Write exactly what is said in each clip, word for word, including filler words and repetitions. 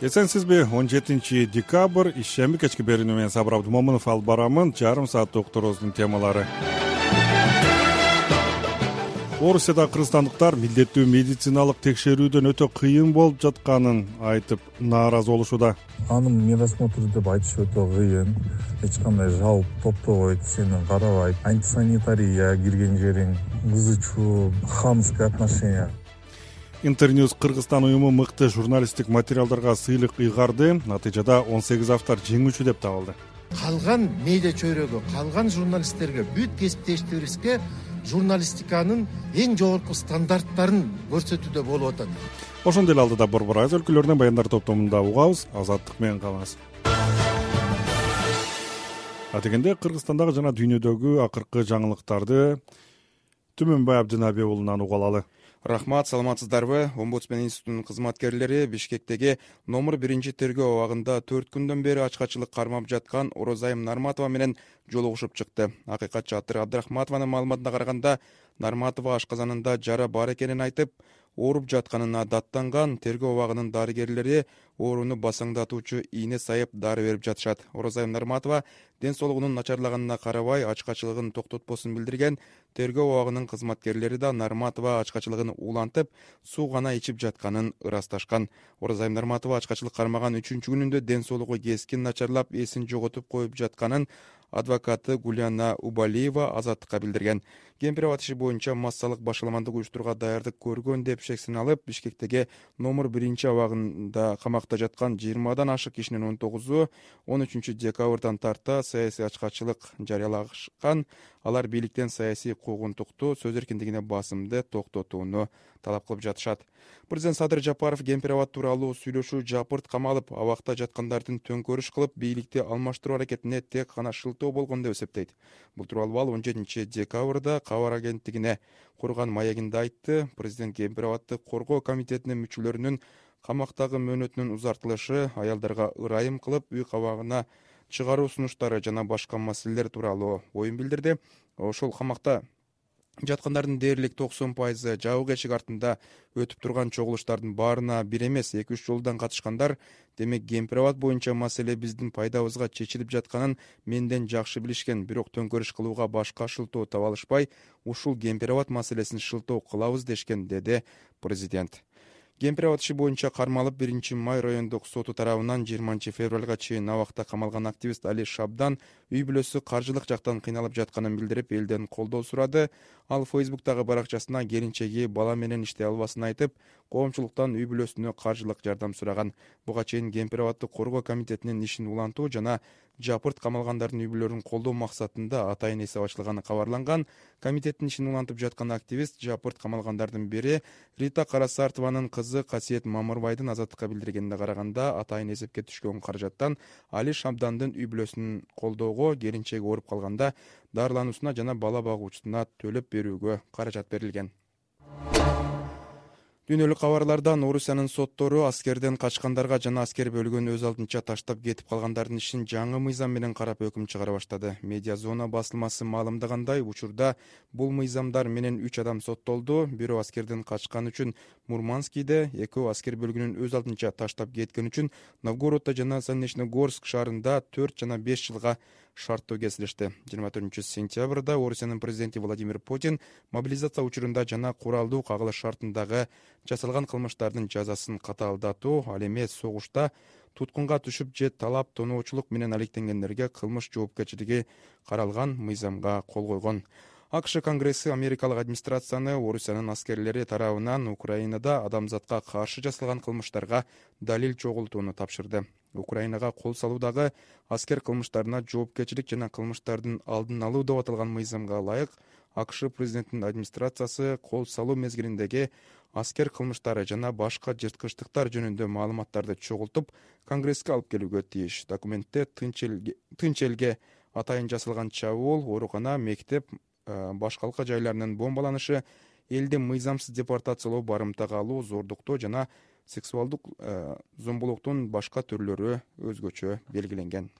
Эсенсизби? он жетинчи декабрь ишемби кечки берүүнү менен Сабыр Абдумомунов алып барамын. Жарым сааттык уктуруубуздун темалары. Орусияда кыргызстандыктар милдеттүү медициналык текшерүүдөн өтө кыйын болуп жатканын айтып нааразы болушууда. Анын медосмотр деп айтыш өтө кыйын. Эч кандай жалп топтобойт, сени карабайт. Антисанитария, кирген жериң ызы чуу, хамское отношение. Интерньюз Кыргызстан уюму мыкты журналисттик материалдарга сыйлык ыйгарды. Натыйжада он сегиз автор жеңүүчү деп табылды. Калган медиа чөйрөгө, калган журналисттерге, бүт кесиптештерибизге журналистиканын эң жогорку стандарттарын көрсөтүүдө болуп атат. Ошондой эле алдыда Борбор Айыз өлкөлөрүнөн баяндар топтомунда угабыз. Азаттык менен калыңыз. Атегенде Кыргызстандагы жана дүйнөдөгү акыркы жаңылыктарды Түмөнбай Абдынаби уулунан угуп алалы. Рахмат, саламатсыздарбы? Омбудсмен институтунун кызматкерлери Бишкектеги номер биринчи тергөө абагында төрт күндөн бери ачкачылык кармап жаткан Орозайым Нарматова менен жолугушуп чыкты. Акыйкатчы Атыр Абдрахматованын маалыматына караганда, Нарматова ашказанында жара бар экенин айтып, ооруп жатканына даттанган. Тергөө абагынын дарыгерлери ооруну басаңдатуучу ийне сайып дары берип жатышат. Орозайым Нарматова ден соолугунун начарлаганына карабай ачкачылыгын токтотпосун билдирген. Тергөө абагынын кызматкерлери да Нарматова ачкачылыгын улантып, суу гана ичип жатканын ырасташкан. Орозайым Нарматова ачкачылык кармаган үчүнчү күнүндө ден соолугу кескин начарлап, эсин жоготуп коюп жатканын адвокаты Гуляна Убалиева Азаттыкка билдирген. Кемпир абад иши боюнча массалык башаламандык уюштурууга даярдык көргөн деп шексин алып, Бишкектеги номер биринчи абагында камакта жаткан жыйырмадан ашык кишинин он тогузу он үчүнчү декабрдан тарта саясий ачкачылык жарыялаган. Алар бийликтен саясий куугунтукту, сөз эркиндигине басымды токтотууну талап кылып жатышат. Президент Садыр Жапаров Кемпир абад тууралуу сүйлөшүү жапырт камалып, абакта жаткандардын төңкөрүш кылып, бийликти алмаштыруу аракетине тек гана шылтоо болгон деп эсептейт. Бул тууралуу ал он жетинчи декабрда Кабар агенттигине курган маегинде айтты. Президент Кемпир абадды коргоо комитетинин мүчөлөрүнүн камактагы мөөнөтүнүн узартылышы, аялдарга ырайым кылып, үй кабагына чыгаруу сунуштары жана башка маселелер тууралуу оюн билдирди. Ошол камакта жаткандардын дээрлик токсон пайызы жабык эшик артында өтүп турган чогулуштардын баарына бир эмес эки үч жолдон катышкандар. Демек Кемпир абад боюнча маселе биздин пайдабызга чечилип жатканын менден жакшы билишкен, бирок төңкөрүш кылууга башка шылтоо таба алышпай, ушул Кемпир абад маселесин шылтоо кылабыз дешкен, деди президент. Кемпир абад иши боюнча кармалып биринчи май райондук соту тарабынан жыйырманчы февралга чейин абакта камалган активист Али Шабдан үй бүлөсү каржылык жактан кыйналып жатканын билдирип, элден колдоо сурады. Ал Фейсбуктагы баракчасына келинчеги бала менен иштей албасын айтып, коомчулуктан үй бүлөсүнө каржылык жардам сураган. Буга чейин Кемпир абадды коргоо комитетинин ишин улантуу жана жапырт камалгандардын үй бүлөлөрүн колдоо максатында атайын эсеп ачылганы кабарланган. Комитеттин ишин улантып жаткан активист жапырт камалгандардын бири Рита Карасартованын кызы Касиет Мамырбайдын Азаттыкка билдиргенине караганда, атайын эсепке түшкөн каражаттан Али Шабдандын үй бүлөсүн колдоого, келинчеги ооруп калганда дарылануусуна жана бала багуучусуна төлөп берүүгө каражат берилген. Дүйнөлүк кабарлардан Орусиянын соттору аскерден качкандарга жана аскер бөлүгүн өз алдынча таштап кетип калгандардын ишин жаңы мыйзам менен карап өкүм чыгара баштады. Медиа зона басылмасы маалымдагандай, учурда бул мыйзамдар менен үч адам соттолду. Бирөө аскерден качкан үчүн Мурманскийде, экөө аскер бөлүгүнүн өз алдынча таштап кеткен үчүн Новгороддо жана Саннечногорск шаарында төрт жана беш жылга шарттуу кесилишти. жыйырма төртүнчү сентябрда Орусиянын президенти Владимир Путин мобилизация учурунда жана куралдуу кагылыш шартындагы жасалган кылмыштардын жазасын катаалдатуу, ал эми согушта туткунга түшүп же талап тоноочулук менен алектенгендерге кылмыш жоопкерчилиги каралган мыйзамга кол койгон. АКШ Конгресси америкалык администрацияны Орусиянын аскерлери тарабынан Украинада адамзатка каршы жасалган кылмыштарга далил чогултууну тапшырды. Украинага кол салуудагы аскер кылмыштарына жоопкерчилик жана кылмыштардын алдын алуу деп аталган мыйзамга ылайык АКШ президентинин администрациясы кол салуу мезгилиндеги аскер кылмыштары жана башка жырткычтыктар жөнүндө маалыматтарды чогултуп, Конгресске алып келүүгө тийиш. Документте тынч элге атайын жасалган чабуул, оорукана, мектеп, башкалка жайларынын бомбаланышы, элди мыйзамсыз депортациялоо, барымтага алуу, зордуктоо жана сексуалдык зомбулуктун башка түрлөрү өзгөчө белгиленген.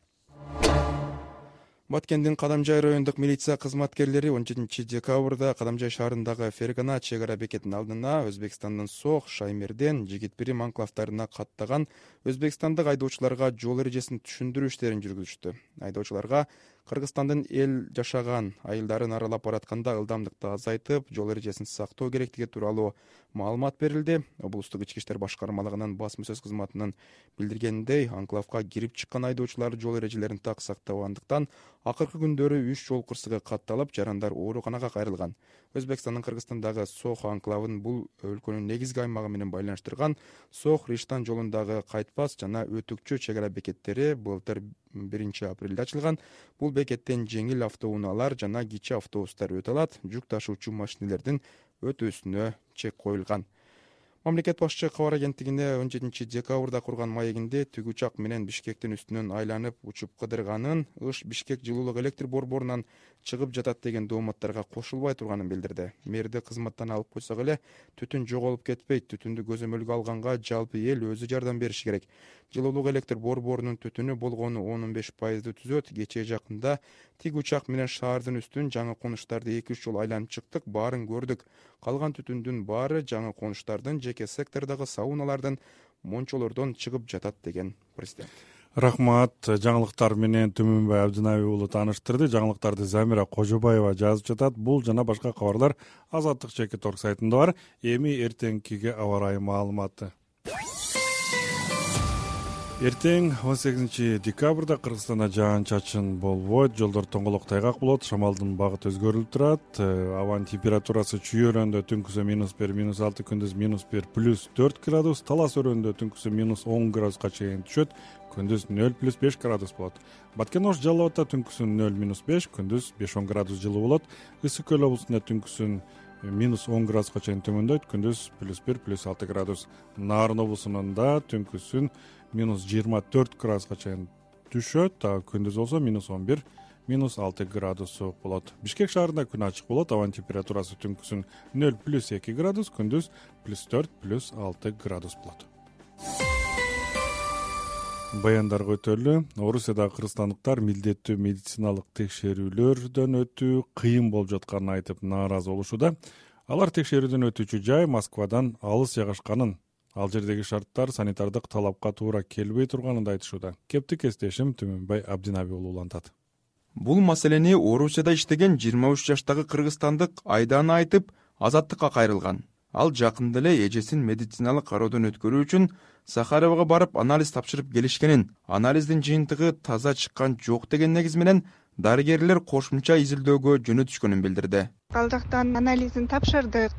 Баткендин Кадамжай райондук милиция кызматкерлери он жетинчи декабрда Кадамжай шаарындагы Фергана чек ара бекетинин алдына Өзбекстандын Сох, Шаймерден, Жигитбирим анклавтарына каттаган өзбекстандык айдоочуларга жол эрежесин түшүндүрүү иштерин жүргүзүштү. Айдоочуларга Кыргызстандын эл жашаган айылдарын аралап баратканда ылдамдыкты азайтып, жол эрежесин сактоо керектиги тууралуу маалымат берилди. Облустук ички иштер башкармалыгынын басма сөз кызматынын билдиргенинде, анклавга кирип чыккан айдоочулар жол эрежелерин так сактабагандыктан акыркы күндөрү үч жол кырсыгы катталып, жарандар ооруканага кайрылган. Өзбекстандын Кыргызстандагы Сох анклавын бул өлкөнүн негизги аймагы менен байланыштырган Сох-Риштан жолундагы кайтпас жана өтүкчү чек ара бекеттери былтыр биринчи апрелде ачылган. Бул бекеттен жеңил автоунаалар жана кичи автобустар өтө алат, жүк ташуучу машинелердин өтүүсүнө чек коюлган. Мамлекет башчы кабар агенттигине он жетинчи декабрда курган маегинде түг учак менен Бишкектин үстүнөн айланып учуп кыдырганын, ыш Бишкек жылуулук электр борборунан чыгып жатат деген дооматтарга кошулбай турганын билдирди. Мэрди кызматтан алып койсок эле түтүн жоголуп кетпейт, түтүндү көзөмөлгө алганга жалпы эл өзү жардам бериши керек. Жылуулук электр борборунун түтүнү болгону он он беш пайызды түзөт. Кечээ жакында тиг учак менен шаардын үстүн жаңы конуштарды эки үч жолу айланып чыктык, баарын көрдүк. Калган түтүндүн баары жаңы конуштардын, жеке сектордогу сауналардын, мончолордон чыгып жатат деген президент. Рахмат. Жаңылыктар менен Түмөнбай Абдинаби уулу тааныштырды. Жаңылыктарды Замира Кожобаева жазып жатат. Бул жана башка кабарлар Азаттык чекит орг сайтында бар. Эми эртеңкиге аба ырайы маалыматы. Эртең он сегизинчи декабрда Кыргызстанда жаан-чачын болбойт, жолдор тоңголок тайгак болот, шамалдын багыты өзгөрүлүп турат. Абанын температурасы чүй өрөөндө түнкүсү минус бир, минус алты, күндүз минус бир, плюс төрт градус, Талас өрөөндө түнкүсү минус он градуска чейин түшөт, күндүз нөл плюс беш градус болот. Баткен Ош Жалал Абадта түнкүсү нөл минус беш, күндүз беш он градус жылуу болот. Ысык Көл облусунда түнкүсүн минус он градуска чейин төмөндөйт, күндүз плюс бир, плюс алты градус. Нарын облусунда түнкүсүн минус жыйырма төрт градуска чейин түшөт, а күндүз болсо минус он бир, минус алты градус суук болот. Бишкек шаарында күн ачык болот, абанын температурасы түнкүсүн нөл плюс эки градус, күндүз плюс төрт, плюс алты градус болот. Баяндарга өтөлү. Орусияда кыргызстандыктар милдеттүү медициналык текшерүүлөрдөн өтүү кыйын болуп жатканын айтып нааразы болушууда. Алар текшерүүдөн өтүүчү жай Москвадан алыс жайгашканын, ал жердеги шарттар санитардык талапка туура келбей турганын да айтышууда. Кепти кесиптешим Түмөнбай Абдинаби уулу улантат. Бул маселени Орусияда иштеген жыйырма үч жаштагы кыргызстандык Айдана айтып, Азаттыкка кайрылган. Ал жакында эле эжесин медициналык кароодон өткөрүү үчүн Сахаровага барып анализ тапшырып келишкенин, анализдин жыйынтыгы таза чыккан жок деген негиз менен дарыгерлер кошумча изилдөөгө жөнөтүшкөнүн билдирди. Ал жактан анализин тапшырдык.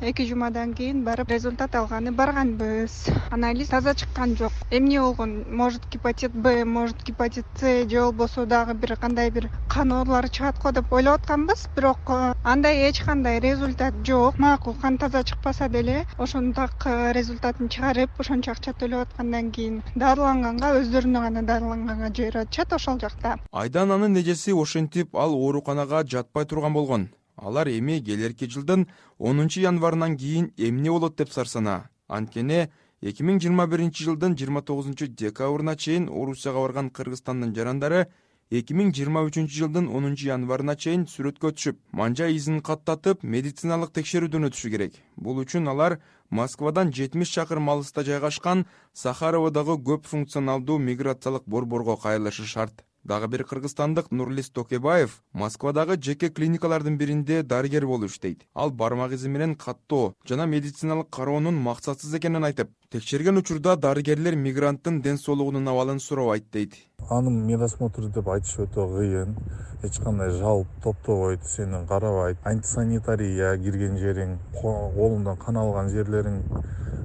эки жумадан кийин барып результат алганы барганбыз. Анализ таза чыккан жок. Эмне болгон? Может гепатит Б, может гепатит С, же болбосо дагы бир кандай бир кан оорулары чыгат го деп ойлоп атканбыз, бирок андай эч кандай результат жок. Макул, кан таза чыкпаса деле ошондак результатын чыгарып, ошончо акча төлөп аткандан кийин дарыланганга, өздөрүнө гана дарыланганга жиберип ошол жакта. Айдананын эжеси ошентип ал ооруканага жатпай турган болгон. Алар эми келерки жылдын онунчу январынан кийин эмне болот деп сарсана. Анткени эки миң жыйырма биринчи жылдын жыйырма тогузунчу декабрына чейин Орусияга барган Кыргызстандын жарандары эки миң жыйырма үчүнчү жылдын онунчу январына чейин сүрөткө түшүп, манжа изин каттатып, медициналык текшерүүдөн өтүшү керек. Бул үчүн алар Москвадан жетимиш чакырым алыста жайгашкан Сахароводогу көп функционалдуу миграциялык борборго кайрылышы шарт. Дагы бир кыргызстандык Нурлис Токебаев Москвадагы жеке клиникалардын биринде дарыгер болуп иштейт. Ал бармак изи менен каттоо жана медициналык кароонун максатсыз экенин айтып, текшерген учурда дарыгерлер мигранттын ден соолугунун абалын сурабайт дейт. Анын медосмотру деп айтыш өтө кыйын. Эч кандай жалп топтобойт, сени карабайт. Антисанитария кирген жериң, колуңдан кан алган жерлериң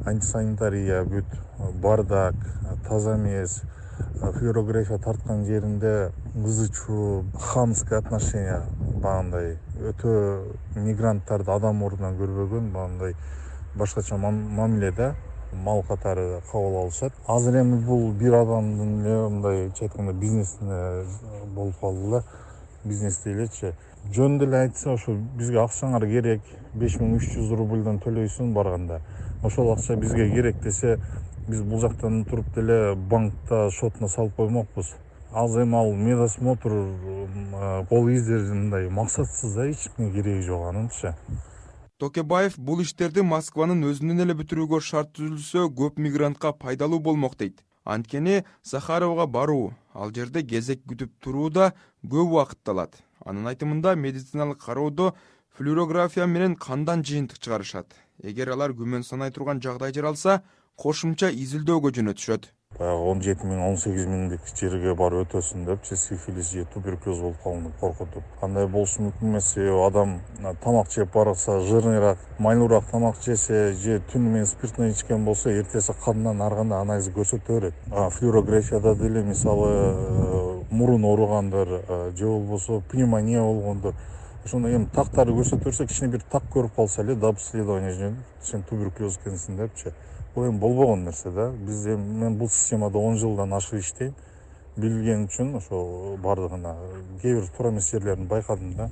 антисанитария бүт, бардак, таза эмес. Флюорография тарткан жеринде ызы чуу, хамское отношение, багындай өтө мигранттарды адам ордунан көрбөгөн, багындай башкача мамиледе мал катары кабыл алышат. Азыр эми бул бир адамдын эле мындай айтканда бизнесине болуп калды эле, бизнес дейлечи. Жөн деле айтса, ошо бизге акчаңар керек, беш миң үч жүз рубльдон төлөйсүң барганда. Ошол акча бизге керек десе, биз бул жактан туруп деле банкта шотуна салып коймокпуз. азыр эми ал медосмотр кол издери мындай максатсыз да, эч кимге кереги жок анынчы. Токебаев бул иштерди Москванын өзүнөн эле бүтүрүүгө шарт түзүлсө көп мигрантка пайдалуу болмок дейт. Анткени Сахаровго баруу, ал жерде кезек күтүп туруу да көп убакытты алат. Анын айтымында медициналык кароодо флюорография менен кандан жыйынтык чыгарышат. Эгер алар күмөн санай турган жагдай жаралса, кошумча изилдөөгө жөнөтүшөт. Баягы он жети миң он сегиз миңдик жерге барып өтөсүн депчи, сифилис же туберкулез болуп калган деп коркутуп. Кандай болушу мүмкүн эмес, адам тамак жеп барса, жырныйраак, майлуураак тамак жесе же түнү менен спиртный ичкен болсо, эртеси кандан ар кандай анализ көрсөтө берет. Флюорографияда деле мисалы мурун ооругандар же болбосо пневмония болгондор, ошондо эми тактары көрсөтө берсе, кичине бир так көрүп калса эле да обследование жөнүп сен туберкулез экенсиң депчи. Бул эми болбогон нерсе да. Биз эми мен бул системада он жылдан ашык иштейм. Билген үчүн ошо бардыгына кээ бир туура эмес жерлерин байкадым да.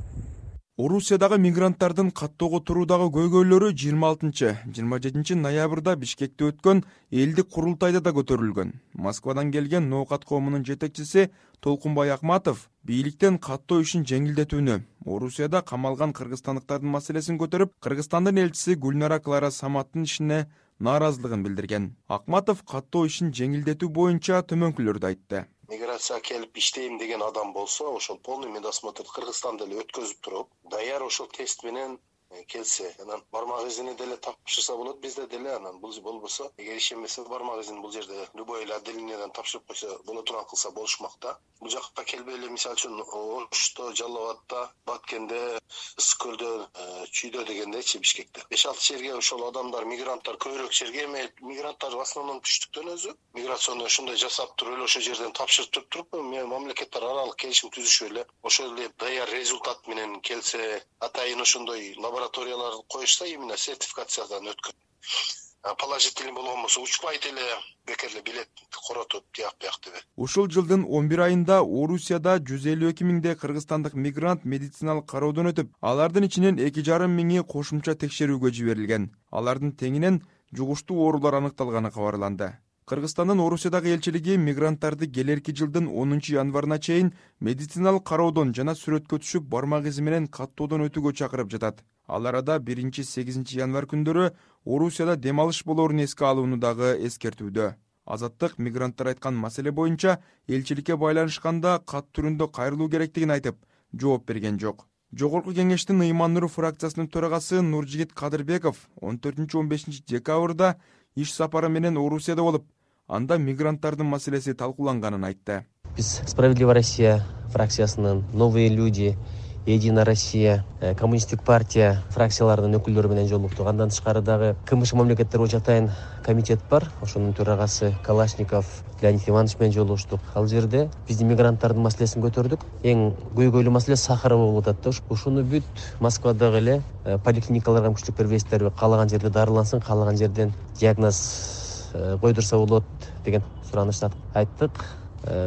Орусиядагы мигранттардын каттоого туруудагы көйгөйлөрү жыйырма алтынчы жыйырма жетинчи ноябрда Бишкекте өткөн элдик курултайда да көтөрүлгөн. Москвадан келген ноокат коомунун жетекчиси Толкунбай Акматов бийликтен каттоо ишин жеңилдетүүнү, Орусияда камалган кыргызстандыктардын маселесин көтөрүп, Кыргызстандын элчиси Гүлнара Клара Саматтын ишине нааразылыгын билдирген. Акматов каттоо ишин жеңилдетүү боюнча төмөнкүлөрдү айтты. Миграция келип иштейм деген адам болсо, ошол полный медосмотр Кыргызстанда эле өткөзүп туруп, даяр ошол тест менен келсе, анан бармак изини деле тапшырса болот, бизде деле анан бул болбосо, эгер ишенбесе бармак изин бул жерде любой эле отделениеден тапшырып койсо боло турган кылса болушмак да. Бул жакка келбей эле мисалы үчүн Ошто, Жалал Абадта, Баткенде, Ысык көлдө, Чүйдө дегендечи Бишкекте. беш алты жерге ошол адамдар, мигранттар көбүрөөк жерге эме мигранттар в основном түштүктөн өзү миграционный ошондой жасап туруп эле ошол жерден тапшыртып туруп, мамлекеттер аралык келишим түзүшүп эле ошол эле даяр результат менен келсе, атайын ошондой лабораториялар коюшса, именно сертификациядан өткөн. Положительный болгон болсо учпайт эле бекер эле билет коротуп тияк бияк деп. Ушул жылдын он бир айында Орусияда жүз элүү эки миңдей кыргызстандык мигрант медициналык кароодон өтүп, алардын ичинен эки жарым миңи кошумча текшерүүгө жиберилген. Алардын теңинен жугуштуу оорулар аныкталганы кабарланды. Кыргызстандын Орусиядагы элчилиги мигранттарды келерки жылдын онунчу январына чейин медициналык кароодон жана сүрөткө түшүп бармак изи менен каттоодон өтүүгө чакырып жатат. Ал арада биринчи сегизинчи январь күндөрү Орусияда дем алыш болоорун эске алууну дагы эскертүүдө. Азаттык мигранттар айткан маселе боюнча элчиликке байланышканда кат түрүндө кайрылуу керектигин айтып, жооп берген жок. Жогорку кеңештин Ыйман Нур фракциясынын төрагасы Нуржигит Кадырбеков он төртүнчү он бешинчи декабрда иш сапары менен Орусияда болуп, анда мигранттардын маселеси талкууланганын айтты. Биз Справедливая Россия фракциясынын, Новые люди, Единая Россия, Коммунисттик партия фракцияларынын өкүлдөрү менен жолуктук. Андан тышкары дагы КМШ мамлекеттер боюнча атайын комитет бар. Ошонун төрагасы Калашников Леонид Иванович менен жолугуштук. Ал жерде биздин мигранттардын маселесин көтөрдүк. Эң көйгөйлүү маселе Сахарова болуп атат да. Ушуну бүт Москвадагы эле поликлиникаларга мүмкүнчүлүк бербейсиздерби? Каалаган жерде дарылансын, каалаган жерден диагноз койдурса болот деген суранышты айттык.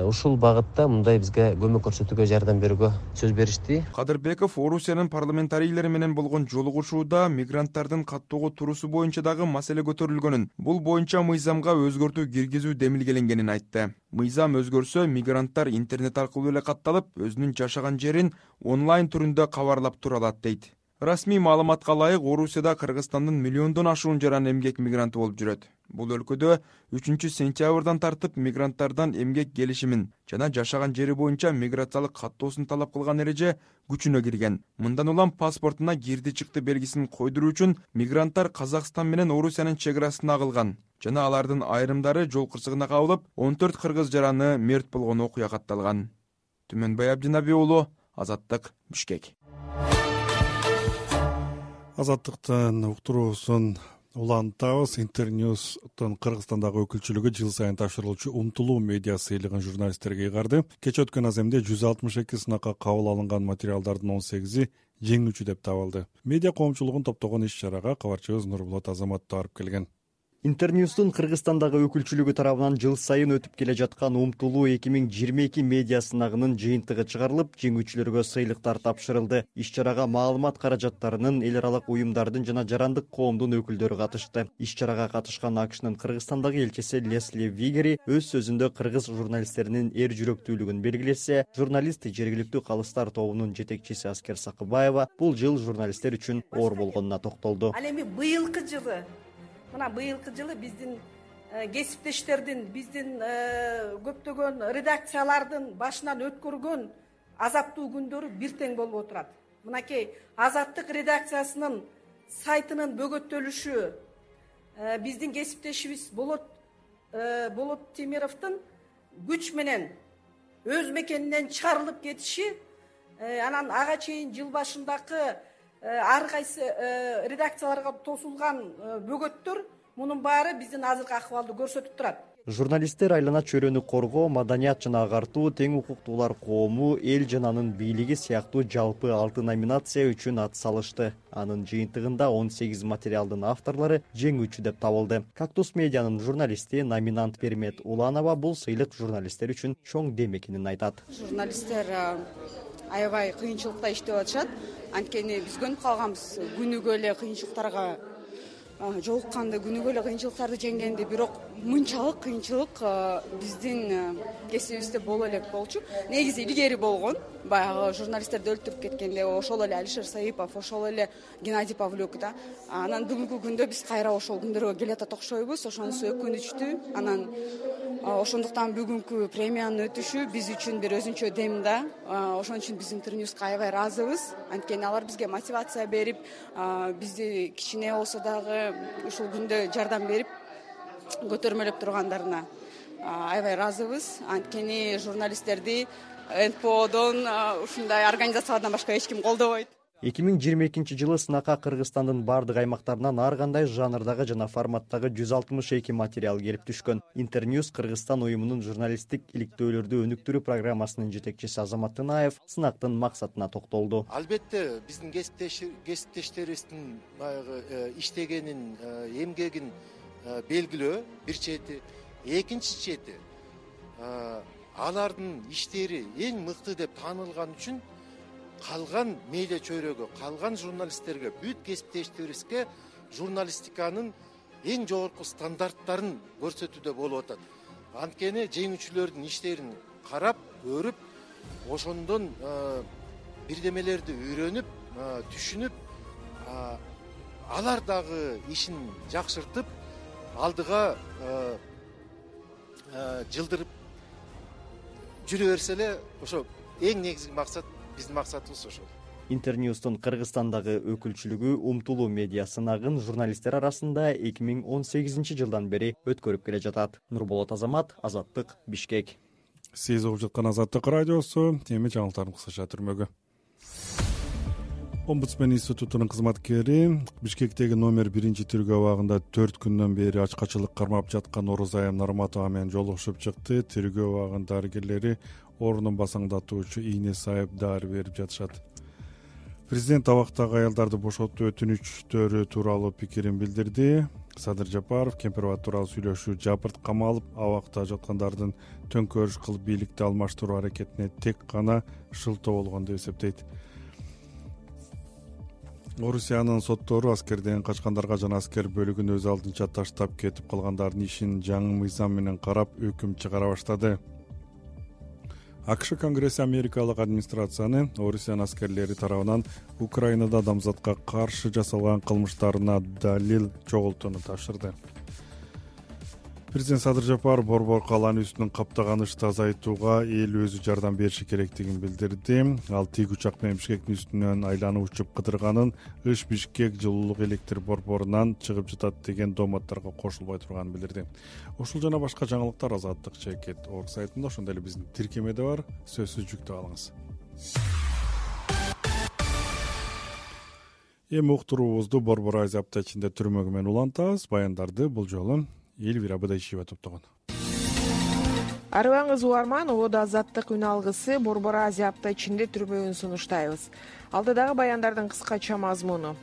Ушул багытта мындай бизге көмөк көрсөтүүгө, жардам берүүгө сөз беришти. Кадырбеков Орусиянын парламентарийлери менен болгон жолугушууда мигранттардын каттоого туруусу боюнча дагы маселе көтөрүлгөнүн, бул боюнча мыйзамга өзгөртүү киргизүү демилгеленгенин айтты. Мыйзам өзгөрсө, мигранттар интернет аркылуу эле катталып, өзүнүн жашаган жерин онлайн түрүндө кабарлап тура алат дейт. Расмий маалыматка ылайык, Орусияда Кыргызстандын миллиондон ашуун жаран эмгек мигранты болуп жүрөт. Бул өлкөдө үчүнчү сентябрдан тартып мигранттардан эмгек келишимин жана жашаган жери боюнча миграциялык каттоосун талап кылган эреже күчүнө кирген. Мындан улам паспортуна кирди-чыкты белгисин койдуруу үчүн мигранттар Казакстан менен Орусиянын чек арасына агылган жана алардын айрымдары жол кырсыгына кабылып, он төрт кыргыз жараны мерт болгон окуя катталган. Түмөнбай Абдинаби уулу, Азаттык, Бишкек. Азаттыктын уктуруусун улантабыз. Интерньюстун Кыргызстандагы өкүлчүлүгү жыл сайын тапшырылуучу Умтулуу медиа сыйлыгын журналисттерге ыйгарды. Кечээ өткөн аземде жүз алтымыш эки сынакка кабыл алынган материалдардын он сегизи жеңүүчү деп табылды. Медиа коомчулугун топтогон иш-чарага кабарчыбыз Нурбулат Азаматов барып келген. Интерньюстун Кыргызстандагы өкүлчүлүгү тарабынан жыл сайын өтүп келе жаткан Умтулуу эки миң жыйырма эки медиа сынагынын жыйынтыгы чыгарылып, жеңүүчүлөргө сыйлыктар тапшырылды. Иш-чарага маалымат каражаттарынын, эл аралык уюмдардын жана жарандык коомдун өкүлдөрү катышты. Иш-чарага катышкан АКШнын Кыргызстандагы элчиси Лесли Вигери өз сөзүндө кыргыз журналисттеринин эр жүрөктүүлүгүн белгилесе, журналист жергиликтүү калыстар тобунун жетекчиси Аскер Сакыбаева бул жыл журналисттер үчүн оор болгонуна токтолду. Ал эми быйылкы жылы мына быйылкы жылы биздин кесиптештердин, биздин көптөгөн редакциялардын башынан өткөргөн азаптуу күндөрү бир тең болуп отурат. Мынакей Азаттык редакциясынын сайтынын бөгөттөлүшү, биздин кесиптешибиз Болот Болот Темировдун күч менен өз мекенинен чыгарылып кетиши, анан ага чейин жыл башындагы ар кайсы редакцияларга тосулган бөгөттөр, мунун баары биздин азыркы акыбалды көрсөтүп турат. Журналисттер айлана чөйрөнү коргоо, маданият жана агартуу, тең укуктуулар коому, эл жананын бийлиги сыяктуу жалпы алты номинация үчүн ат салышты. Анын жыйынтыгында он сегиз материалдын авторлору жеңүүчү деп табылды. Кактус медианын журналисти, номинант Пермет Уланова бул сыйлык журналисттер үчүн чоң дем экенин айтат. Журналисттер аябай кыйынчылыкта иштеп атышат. Анткени биз көнүп калганбыз күнүгө эле кыйынчылыктарга жолукканды, күнүгө эле кыйынчылыктарды жеңгенди, бирок мынчалык кыйынчылык биздин кесибибизде боло элек болчу. Негизи илгери болгон, баягы журналисттерди өлтүрүп кеткенде ошол эле Алишер Саипов, ошол эле Геннадий Павлюк да. Анан бүгүнкү күндө биз кайра ошол күндөргө келатат окшойбуз. Ошонусу өкүнүчтүү. Анан ошондуктан бүгүнкү премиянын өтүшү биз үчүн бир өзүнчө дем да. Ошон үчүн биз Интерньюска аябай ыраазыбыз. Анткени алар бизге мотивация берип, бизди кичине болсо дагы ушул күндө жардам берип, көтөрмөлөп тургандарына аябай ыраазыбыз. Анткени журналисттерди эн пэ одон, ушундай организациялардан башка эч ким колдобойт. эки миң жыйырма экинчи жылы сынакка Кыргызстандын бардык аймактарынан ар кандай жанрдагы жана форматтагы жүз алтымыш эки материал келип түшкөн. Интерньюс Кыргызстан уюмунун журналисттик иликтөөлөрдү өнүктүрүү программасынын жетекчиси Азамат Тынаев сынактын максатына токтолду. Албетте биздин кесиптештерибиздин баягы иштегенин, эмгегин белгилөө бир чети, экинчи чети алардын иштери эң мыкты деп таанылган үчүн калган медиа чөйрөгө, калган журналисттерге, бүт кесиптештерибизге журналистиканын эң жогорку стандарттарын көрсөтүүдө болуп атат. Анткени жеңүүчүлөрдүн иштерин карап, көрүп, ошондон бирдемелерди үйрөнүп, түшүнүп, алар дагы ишин жакшыртып, алдыга жылдырып жүрө берсе эле, ошо эң негизги максат, биздин максатыбыз ошол. Интерньюстун Кыргызстандагы өкүлчүлүгү Умтулуу медиа сынагын журналисттер арасында эки миң он сегизинчи жылдан бери өткөрүп келе жатат. Нурболот Азамат, Азаттык, Бишкек. Сиз угуп жаткан Азаттык радиосу, эми жаңылыктардын кыскача түрмөгү. Омбудсмен институтунун кызматкери Бишкектеги номер биринчи тергөө абагында төрт күндөн бери ачкачылык кармап жаткан Орозайым Нарматова менен жолугушуп чыкты. Тергөө абагынын дарыгерлери орнун басаңдатуучу ийне сайып дары берип жатышат. Президент абактагы аялдарды бошотуу өтүнүчтөрү тууралуу пикирин билдирди. Садыр Жапаров Кемпирбат тууралуу сүйлөшүү жапырт камалып, абакта жаткандардын төңкөрүш кылып бийликти алмаштыруу аракетине тек гана шылтоо болгон деп эсептейт. Орусиянын соттору аскерден качкандарга жана аскер бөлүгүн өз алдынча таштап кетип калгандардын ишин жаңы мыйзам менен карап өкүм чыгара баштады. АКШ Конгресси америкалык администрацияны Орусиянын аскерлери тарабынан Украинада адамзатка каршы жасалган кылмыштарына далил чогултууну тапшырды. Президент Садыр Жапаров борбор калааны үстүнөн каптаган ышты азайтууга эл өзү жардам бериши керектигин билдирди. Ал тик учак менен Бишкектин үстүнөн айланып учуп кыдырганын, ыш Бишкек жылуулук электр борборунан чыгып жатат деген дооматтарга кошулбой турганын билдирди. Ушул жана башка жаңылыктар Азаттык чекит орг сайтында, ошондой эле биздин тиркемеде бар. Сөзсүз жүктөп алыңыз. Эми уктуруубузду Борбор Азия аптечинде түрмөгү менен улантабыз. Баяндарды бул жолу Эльвира Быдайшева топтогон. Арыбаңыз угарман, ободо Азаттык үн алгысы Борбор Азия аптечинде түрмөгүн сунуштайбыз. Алдыдагы баяндардын кыскача мазмуну.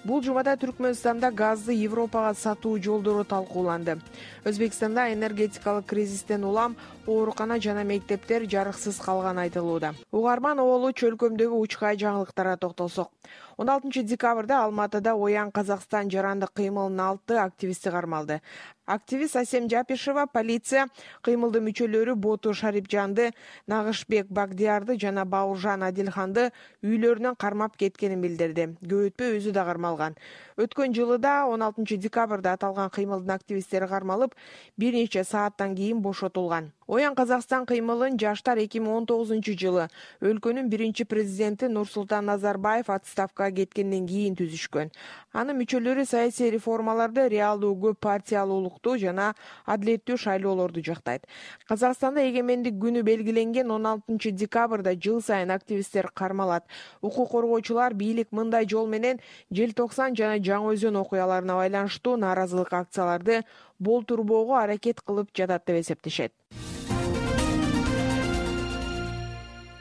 Бул жумада Түркмөнстанда газды Европага сатуу жолдору талкууланды. Өзбекстанда энергетикалык кризистен улам оорукана жана мектептер жарыксыз калганы айтылууда. Угарман Оолу чөлкөмдөгү учкай жаңылыктарга токтолсок. он алтынчы декабрда Алматыда Оян Казакстан жарандык кыймылынын алты активисти кармалды. Активист Асем Жапишева полиция кыймылдын мүчөлөрү Боту Шарипжанды, Нагышбек Багдиярды жана Бауыржан Адилханды үйлөрүнөн кармап кеткенин билдирди. Көп өтпөй өзү да кармалган. Өткөн жылы да он алтынчы декабрда аталган кыймылдын активисттери кармалып, бир нече сааттан кийин бошотулган. Оян Казакстан кыймылын жаштар эки миң он тогузунчу жылы өлкөнүн биринчи президенти Нурсултан Назарбаев отставкага кеткенден кийин түзүшкөн. Анын мүчөлөрү саясий реформаларды, реалдуу көп партиялуулукту жана адилеттүү шайлоолорду жактайт. Казакстанда эгемендик күнү белгиленген он алтынчы декабрда жыл сайын активисттер кармалат. Укук коргоочулар бийлик мындай жол менен Желтоксан жана Жаңы Өзөн окуяларына байланыштуу нааразылык акцияларды болтурбоого аракет кылып жатат деп эсептешет.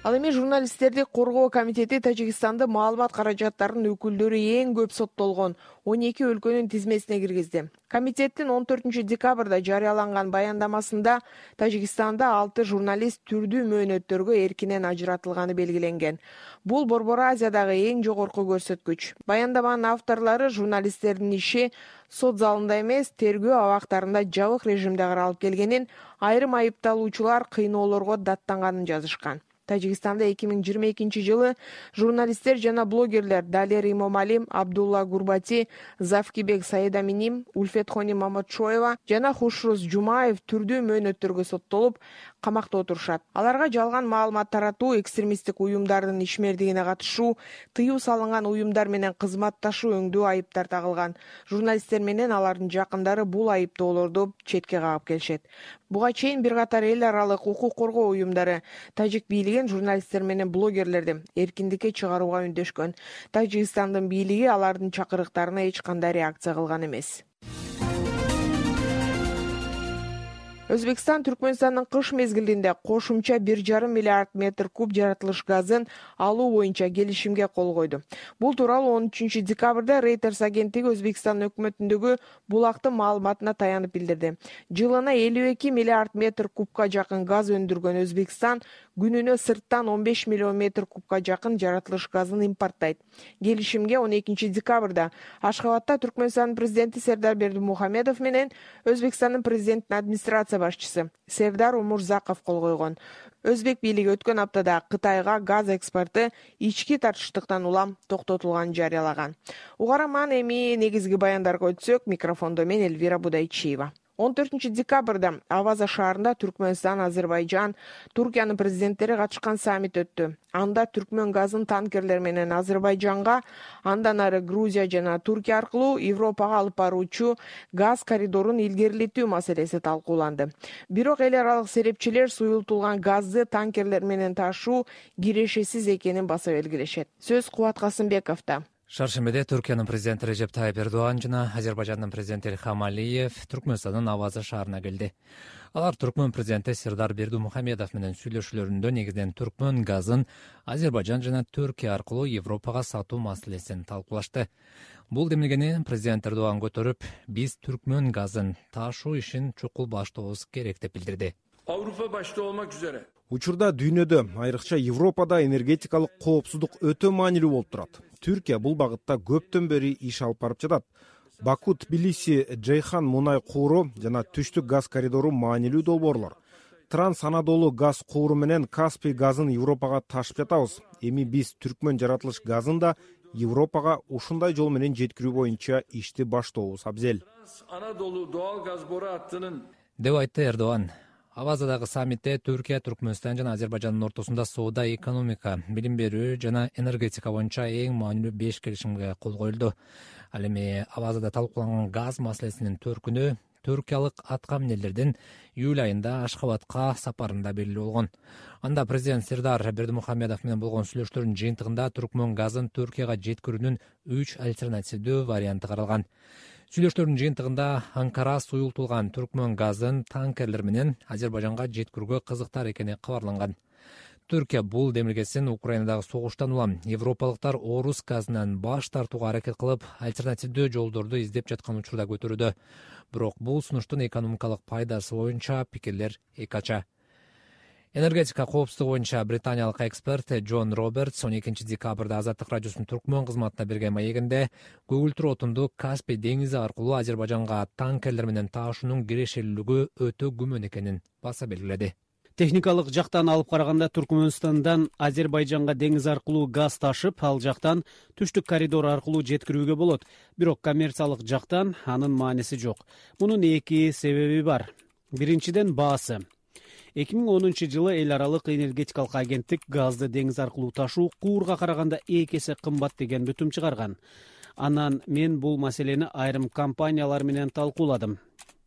Ал эми журналисттерди коргоо комитети Тажикстанды маалымат каражаттарынын өкүлдөрү эң көп соттолгон он эки өлкөнүн тизмесине киргизди. Комитеттин он төртүнчү декабрда жарыяланган баяндамасында Тажикстанда алты журналист түрдүү мөөнөттөргө эркинен ажыратылганы белгиленген. Бул Борбор Азиядагы эң жогорку көрсөткүч. Баяндаманын авторлору журналисттердин иши сот залында эмес, тергөө абактарында жабык режимде каралып келгенин, айрым айыпталуучулар кыйноолорго даттанганын жазышкан. Тажикстанда эки миң жыйырма экинчи жылы журналисттер жана блогерлер Далер Имомали, Абдулла Гурбати, Завкибек Саидаминим, Ульфетхони Маматшоева жана Хушрус Жумаев түрдүү мөөнөттөргө соттолуп, камакта отурушат. Аларга жалган маалымат таратуу, экстремисттик уюмдардын ишмердигине катышуу, тыюу салынган уюмдар менен кызматташуу өңдүү айыптар тагылган. Журналисттер менен алардын жакындары бул айыптоолорду четке кагып келишет. Буга чейин бир катар эл аралык укук коргоо уюмдары Тажик бийлигин журналисттер менен блогерлерди эркиндикке чыгарууга үндөшкөн. Тажикстандын бийлиги алардын чакырыктарына эч кандай реакция кылган эмес. Өзбекстан Түркмөнстандын кыш мезгилинде кошумча бир жарым миллиард метр куб жаратылыш газын алуу боюнча келишимге кол койду. Бул тууралуу он үчүнчү декабрда Reuters агенттиги Өзбекстан өкмөтүндөгү булактын маалыматына таянып билдирди. Жылына элүү эки миллиард метр кубка жакын газ өндүргөн Өзбекстан күнүнө сырттан он беш миллион метр кубка жакын жаратылыш газын импорттайт. Келишимге он экинчи декабрда Ашхабадта Түркмөнстандын президенти Сердар Бердимухамедов менен Өзбекстандын президентинин администрация башчысы Сердар Умурзаков кол койгон. Өзбек бийлиги өткөн аптада Кытайга газ экспорту ички тартыштыктан улам токтотулганын жарыялаган. Угарман эми негизги баяндарга өтсөк, микрофондо мен Эльвира Будайчиева. он төртүнчү декабрда Аваза шаарында Түркмөнстан, Азербайжан, Туркиянын президенттери катышкан саммит өттү. Анда түркмөн газын танкерлер менен Азербайжанга, андан ары Грузия жана Туркия аркылуу Европага алып баруучу газ коридорун илгерилетүү маселеси талкууланды. Бирок эл аралык серепчилер суюлтулган газды танкерлер менен ташуу кирешесиз экенин баса белгилешет. Сөз Кубат Касымбековдо. Шаршембиде Түркиянын президенти Режеп Тайып Эрдоган жана Азербайжандын президенти Илхам Алиев Түркмөнстандын Аваза шаарына келди. Алар түркмөн президенти Сердар Бердимухамедов менен сүйлөшүүлөрүндө негизинен түркмөн газын Азербайжан жана Түркия аркылуу Европага сатуу маселесин талкуулашты. Бул демилгени президент Эрдоган көтөрүп, биз түркмөн газын ташуу ишин чукул баштообуз керек деп билдирди. Avrupa başta olmak üzere Учурда дүйнөдө, айрыкча Европада энергетикалык коопсуздук өтө маанилүү болуп турат. Түркия бул багытта көптөн бери иш алып барып жатат. Баку, Тбилиси, Джейхан мунай кууру жана түштүк газ коридору маанилүү долбоорлор. Транс Анадолу газ кууру менен Каспий газын Европага ташып жатабыз. Эми биз түркмөн жаратылыш газын да Европага ушундай жол менен жеткирүү боюнча ишти баштообуз абзел. Anadolu doğal gaz boru hattının деп айтты Эрдоган. Авазадагы саммитте Түркия, Түркмөнстан жана Азербайжандын ортосунда соода, экономика, билим берүү жана энергетика боюнча эң маанилүү беш келишимге кол коюлду. Ал эми Авазада талкууланган газ маселесинин төркүнү түркиялык аткаминерлердин июль айында Ашхабадка сапарында белгилүү болгон. Анда президент Сердар Бердимухамедов менен болгон сүйлөшүүлөрдүн жыйынтыгында түркмөн газын Түркияга жеткирүүнүн үч альтернативдүү варианты каралган. Сүйлөшүүлөрдүн жыйынтыгында Анкара суюлтулган түркмөн газын танкерлер менен Азербайжанга жеткирүүгө кызыктар экени кабарланган. Түркия бул демилгесин Украинадагы согуштан улам европалыктар орус газынан баш тартууга аракет кылып, альтернативдүү жолдорду издеп жаткан учурда көтөрүүдө. Бирок бул сунуштун экономикалык пайдасы боюнча пикирлер эки ача. Энергетика коопсуздугу боюнча британиялык эксперт Джон Робертс он экинчи декабрда Азаттык радиосунун түркмөн кызматына берген маегинде көгүлтүр отунду Каспий деңизи аркылуу Азербайжанга танкерлер менен таашуунун кирешелүүлүгү өтө күмөн экенин баса белгиледи. Техникалык жактан алып караганда Түркмөнстандан Азербайжанга деңиз аркылуу газ ташып, ал жактан түштүк коридор аркылуу жеткирүүгө болот. Бирок коммерциялык жактан анын мааниси жок. Мунун эки себеби бар. Биринчиден баасы. эки миң онунчу жылы эл аралык энергетикалык агенттик газды деңиз аркылуу ташуу куурга караганда эки эсе кымбат деген бүтүм чыгарган. Анан мен бул маселени айрым компаниялар менен талкууладым.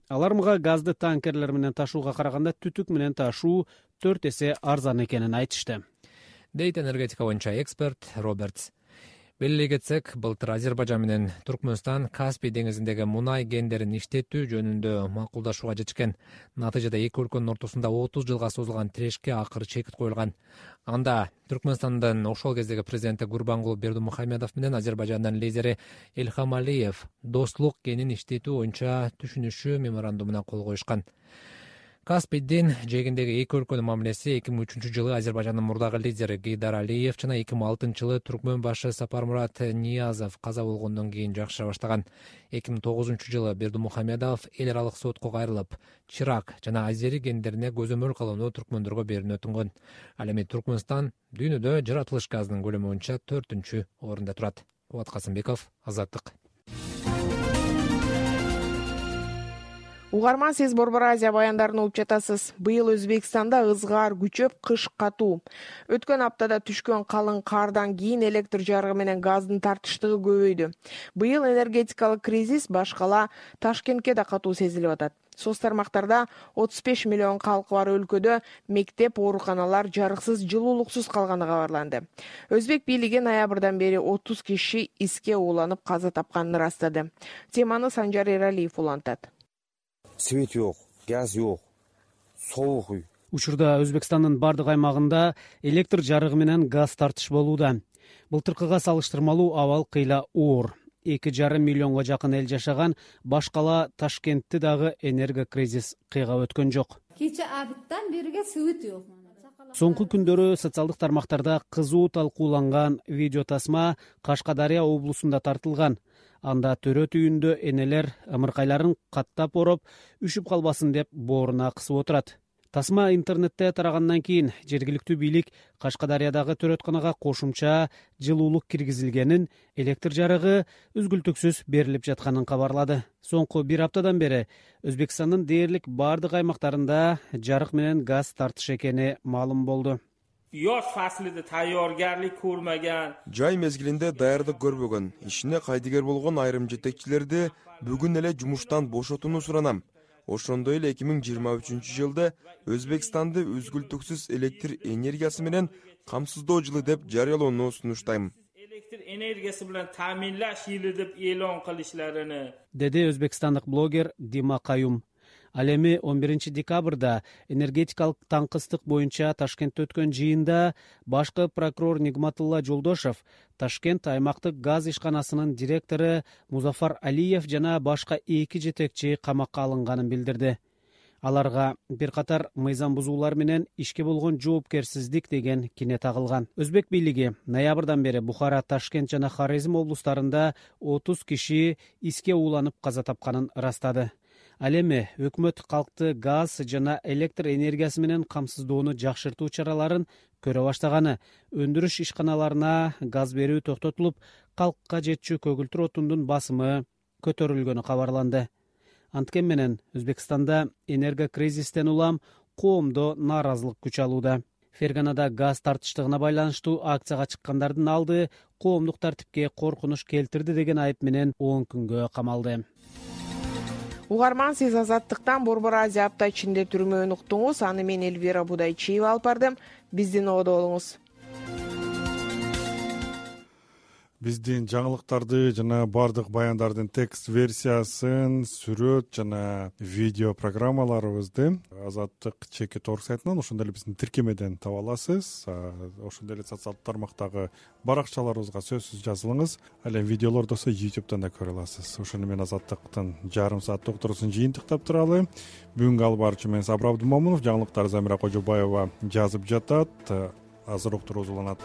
Алар мага газды танкерлер менен ташууга караганда түтүк менен ташуу төрт эсе арзан экенин айтышты. Дейт энергетика боюнча эксперт Робертс. Белгилей кетсек, былтыр Азербайжан менен Түркмөнстан Каспий деңизиндеги мунай кендерин иштетүү жөнүндө макулдашууга жетишкен. Натыйжада эки өлкөнүн ортосунда отуз жылга созулган тирешке акыры чекит коюлган. Анда Түркмөнстандын ошол кездеги президенти Гурбангулы Бердимухамедов менен Азербайжандын лидери Элхам Алиев достук кенин иштетүү боюнча түшүнүшүү меморандумуна кол коюшкан. Каспийдин жээгиндеги эки өлкөнүн мамилеси эки миң үчүнчү жылы Азербайжандын мурдагы лидери Гейдар Алиев жана эки миң алтынчы жылы Түркмөн башы Сапармурат Ниязов каза болгондон кийин жакшыра баштаган. эки миң тогузунчу жылы Бердимухамедов эл аралык сотко кайрылып, Чирак жана Азери кендерине көзөмөл кылууну түркмөндөргө берүүнү өтүнгөн. Ал эми Түркмөнстан дүйнөдө жаратылыш газынын көлөмү боюнча төртүнчү орунда турат. Кубат Касымбеков, Азаттык. Угарман, сиз Борбор Азия баяндарын угуп жатасыз. Быйыл Өзбекстанда ызгаар күчөп, кыш катуу. Өткөн аптада түшкөн калың кардан кийин электр жарыгы менен газдын тартыштыгы көбөйдү. Быйыл энергетикалык кризис баш кала Ташкентке да катуу сезилип атат. Соц тармактарда отуз беш миллион калкы бар өлкөдө мектеп, ооруканалар жарыксыз, жылуулуксуз калганы кабарланды. Өзбек бийлиги ноябрдан бери отуз киши иске ууланып каза тапканын ырастады. Теманы Санжар Эралиев улантат. Свет жок, газ жок, соок үй. Учурда Өзбекстандын бардык аймагында электр жарыгы менен газ тартыш болууда. Былтыркыга салыштырмалуу абал кыйла оор. эки жарым миллионго жакын эл жашаган баш кала Ташкентти дагы энерго кризис кыйгап өткөн жок. Кече абыттан бериге свет жок. Соңку күндөрү социалдык тармактарда кызуу талкууланган видео тасма Кашкадария облусунда тартылган. Анда төрөт үйүндө энелер ымыркайларын каттап ороп, үшүп калбасын деп бооруна кысып отурат. Тасма интернетте тарагандан кийин жергиликтүү бийлик Кашкадариядагы төрөтканага кошумча жылуулук киргизилгенин, электр жарыгы үзгүлтүксүз берилип жатканын кабарлады. Соңку бир аптадан бери Өзбекстандын дээрлик бардык аймактарында жарык менен газ тартыш экени маалым болду. Yoz faslida tayyorgarlik ko'rmagan, жай мезгилинде даярдык көрбөгөн, ишине кайдыгер болгон айрым жетекчилерди бүгүн эле жумуштан бошотууну суранам. Ошондой эле эки миң жыйырма үчүнчү жылда Өзбекстанды үзгүлтүксүз электр энергиясы менен камсыздоо жылы деп жарыялоону сунуштайм. Elektr energiyasi bilan ta'minlash yili deb e'lon qilishlarini, деди өзбекстандык блогер Дима Каюм. Ал эми он биринчи декабрда энергетикалык таңкыстык боюнча Ташкентте өткөн жыйында башкы прокурор Нигматулла Жолдошев, Ташкент аймактык газ ишканасынын директору Музафар Алиев жана башка эки жетекчи камакка алынганын билдирди. Аларга бир катар мыйзам бузуулар менен ишке болгон жоопкерсиздик деген кине тагылган. Өзбек бийлиги ноябрдан бери Бухара, Ташкент жана Хорезм облустарында отуз киши иске ууланып каза тапканын ырастады. Ал эми өкмөт калкты газ жана электр энергиясы менен камсыздоону жакшыртуу чараларын көрө баштаганы, өндүрүш ишканаларына газ берүү токтотулуп, калкка жетчү көгүлтүр отундун басымы көтөрүлгөнү кабарланды. Анткени менен Өзбекстанда энерго кризистен улам коомдо нааразылык күч алууда. Ферганада газ тартыштыгына байланыштуу акцияга чыккандардын алды коомдук тартипке коркунуч келтирди деген айып менен он күнгө камалды. Угарман, сиз Азаттыктан Борбор Азия апта ичинде түрмөөнү уктуңуз. Аны мен Элвира Будайчиева алып бардым. Биздин ободо болуңуз. биздин жаңылыктарды жана баардык баяндардын текст версиясын, сүрөт жана видео программаларыбызды Азаттык чекит орг сайтынан, ошондой эле биздин тиркемеден таба аласыз. Ошондой эле социалдык тармактагы баракчаларыбызга сөзсүз жазылыңыз. Ал эми видеолорду болсо ютубтан да көрө аласыз. Ошону менен Азаттыктын жарым саат уктуруусун жыйынтыктап туралы. Бүгүнкү алып баруучу мен Сабыр Абдымомунов, жаңылыктар Замира Кожобаева жазып жатат. Азыр уктуруу уланат.